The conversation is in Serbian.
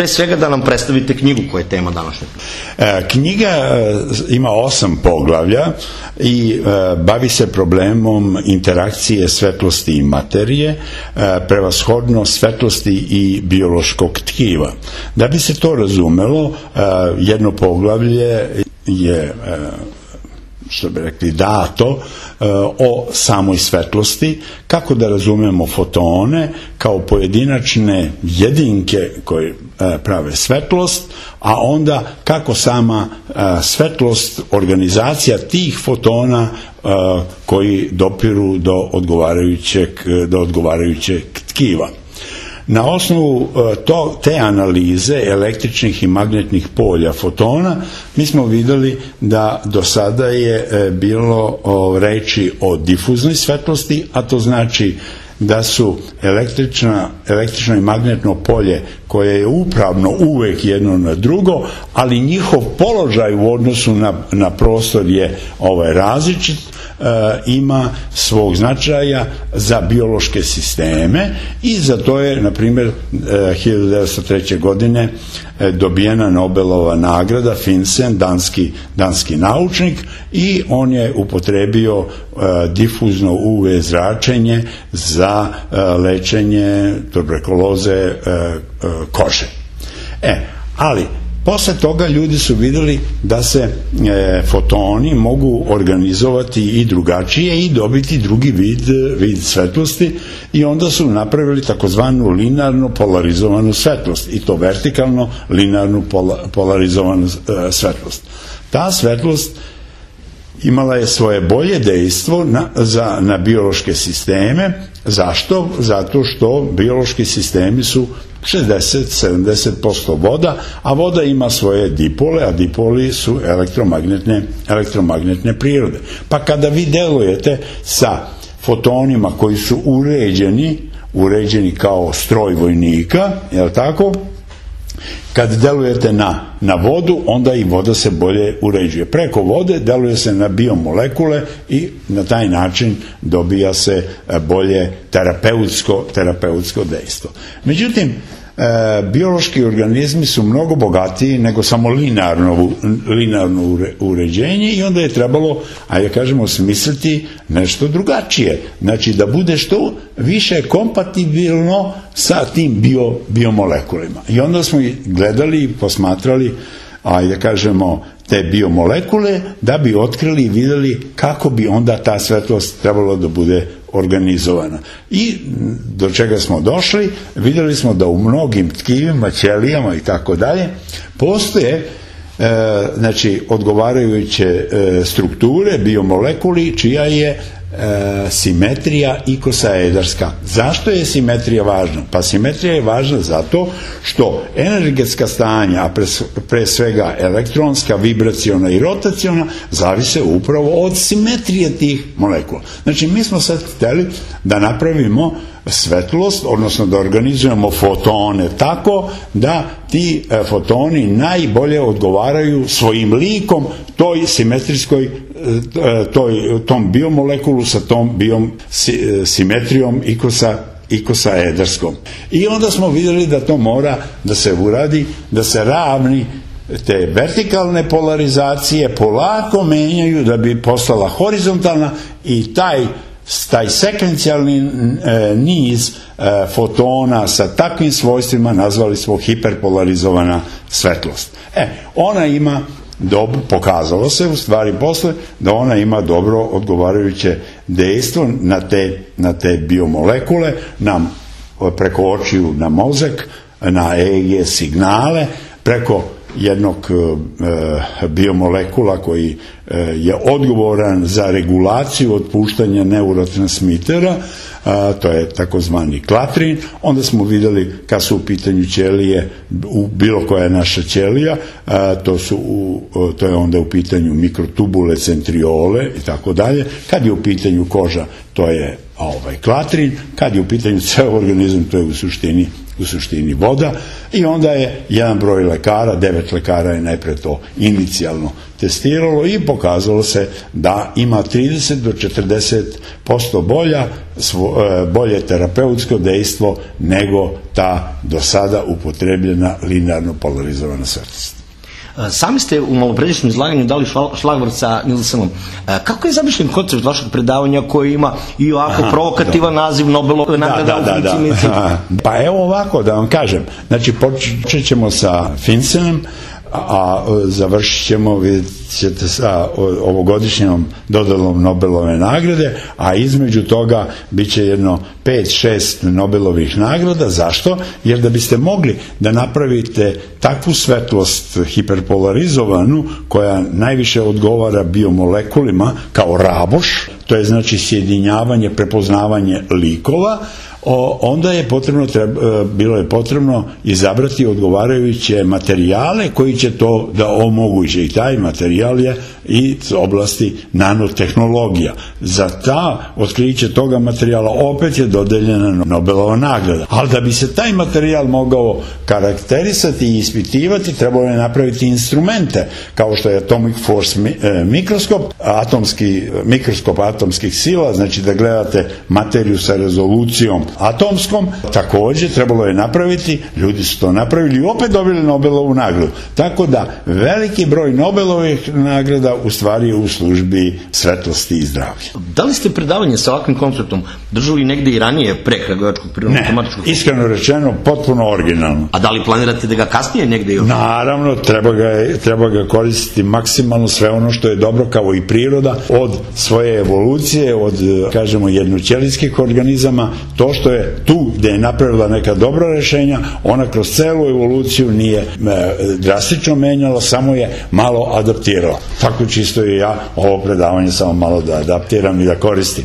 Pre svega da nam predstavite knjigu koja je tema današnje. Knjiga ima 8 poglavlja i bavi se problemom interakcije svetlosti i materije, prevashodno svetlosti i biološkog tkiva. Da bi se to razumelo, jedno poglavlje je, što bi rekli, dato o samoj svetlosti, kako da razumemo fotone kao pojedinačne jedinke koje prave svetlost, a onda kako sama svetlost, organizacija tih fotona koji dopiru do odgovarajućeg tkiva. Na osnovu te analize električnih i magnetnih polja fotona mi smo vidjeli da do sada je bilo reči o difuznoj svetlosti, a to znači da su električno i magnetno polje koje je upravno uvek jedno na drugo, ali njihov položaj u odnosu na prostor je različit, ima svog značaja za biološke sisteme i za to je, na primjer, 1903. godine dobijena Nobelova nagrada, Finsen, danski naučnik, i on je upotrebio difuzno UV zračenje za lečenje tuberkuloze kože. Ali posle toga ljudi su vidjeli da se fotoni mogu organizovati i drugačije i dobiti drugi vid svetlosti, i onda su napravili takozvanu linearno polarizovanu svetlost, i to vertikalno linearnu polarizovanu svetlost. Ta svetlost imala je svoje bolje dejstvo na biološke sisteme. Zašto? Zato što biološki sistemi su 60-70% voda, a voda ima svoje dipole, a dipoli su elektromagnetne prirode. Pa kada vi delujete sa fotonima koji su uređeni kao stroj vojnika, je li tako? Kad delujete na vodu, onda i voda se bolje uređuje. Preko vode deluje se na biomolekule i na taj način dobija se bolje terapeutsko dejstvo. Međutim, biološki organizmi su mnogo bogatiji nego samo linearno uređenje, i onda je trebalo, smisliti nešto drugačije. Znači da bude što više kompatibilno sa tim biomolekulima. I onda smo gledali i posmatrali, te biomolekule, da bi otkrili i vidjeli kako bi onda ta svetlost trebalo da bude organizovana. I do čega smo došli? Vidjeli smo da u mnogim tkivima, ćelijama i tako dalje postoje odgovarajuće strukture, biomolekuli, čija je simetrija ikosaedarska. Zašto je simetrija važna? Pa simetrija je važna zato što energetska stanja, a pre svega elektronska, vibraciona i rotaciona, zavise upravo od simetrije tih molekula. Znači, mi smo sad htjeli da napravimo svetlost, odnosno da organizujemo fotone tako da ti fotoni najbolje odgovaraju svojim likom toj simetrijskoj, tom biomolekulu sa tom simetrijom ikosaedarskom. I onda smo vidjeli da to mora da se uradi, da se ravni te vertikalne polarizacije polako menjaju da bi postala horizontalna, i taj sekvencijalni niz fotona sa takvim svojstvima nazvali smo hiperpolarizovana svetlost. Ona ima pokazalo se u stvari posle da ona ima dobro odgovarajuće dejstvo na te biomolekule, preko očiju na mozak, na EEG signale, preko jednog biomolekula koji je odgovoran za regulaciju otpuštanja neurotransmitera, to je takozvani klatrin. Onda smo vidjeli kad su u pitanju ćelije, bilo koja je naša ćelija, to je onda u pitanju mikrotubule, centriole i tako dalje. Kad je u pitanju koža, to je klatrin. Kad je u pitanju ceo organizam, to je u suštini u suštini voda, i onda je jedan broj lekara, 9 lekara je najpre to inicijalno testiralo i pokazalo se da ima 30 do 40% bolje terapeutsko dejstvo nego ta do sada upotrebljena linearno polarizovana svetlost. Sami ste u malopređašnjem izlaganju dali šlagvort sa Nielsenom. Kako je zamišljen koncept vašeg predavanja koji ima i ovako provokativan naziv Nobelove nagrada u fizici i medicini? Pa evo ovako da vam kažem. Znači počet ćemo sa Finsenom, a završit ćemo, vidjet ćete, sa ovogodišnjom dodalom Nobelove nagrade, a između toga bit će jedno 5-6 Nobelovih nagrada. Zašto? Jer da biste mogli da napravite takvu svetlost hiperpolarizovanu koja najviše odgovara biomolekulima kao raboš, to je znači sjedinjavanje, prepoznavanje likova, onda je bilo je potrebno izabrati odgovarajuće materijale koji će to da omoguće, i taj materijal je iz oblasti nanotehnologija. Za ta otkriće toga materijala opet je dodeljena Nobelova nagrada. Ali da bi se taj materijal mogao karakterisati i ispitivati, trebalo je napraviti instrumente, kao što je Atomic Force mikroskop, mikroskop atomskih sila, znači da gledate materiju sa rezolucijom atomskom, također trebalo je napraviti, ljudi su to napravili i opet dobili Nobelovu nagradu. Tako da veliki broj Nobelovih nagrada u stvari je u službi svetlosti i zdravlja. Da li ste predavanje sa ovakvim konceptom držali negde i ranije pre Kragujevačkog prirodno-matematičkog? Ne, iskreno rečeno, potpuno originalno. A da li planirate da ga kasnije negde još? Naravno, treba ga koristiti maksimalno, sve ono što je dobro, kao i priroda, od svoje evolucije, od, kažemo, jednoćelijskih organizama, to što je tu gde je napravila neka dobra rešenja, ona kroz celu evoluciju nije drastično menjala, samo je malo adaptirala. Tako čisto i ja ovo predavanje samo malo da adaptiram i da koristim.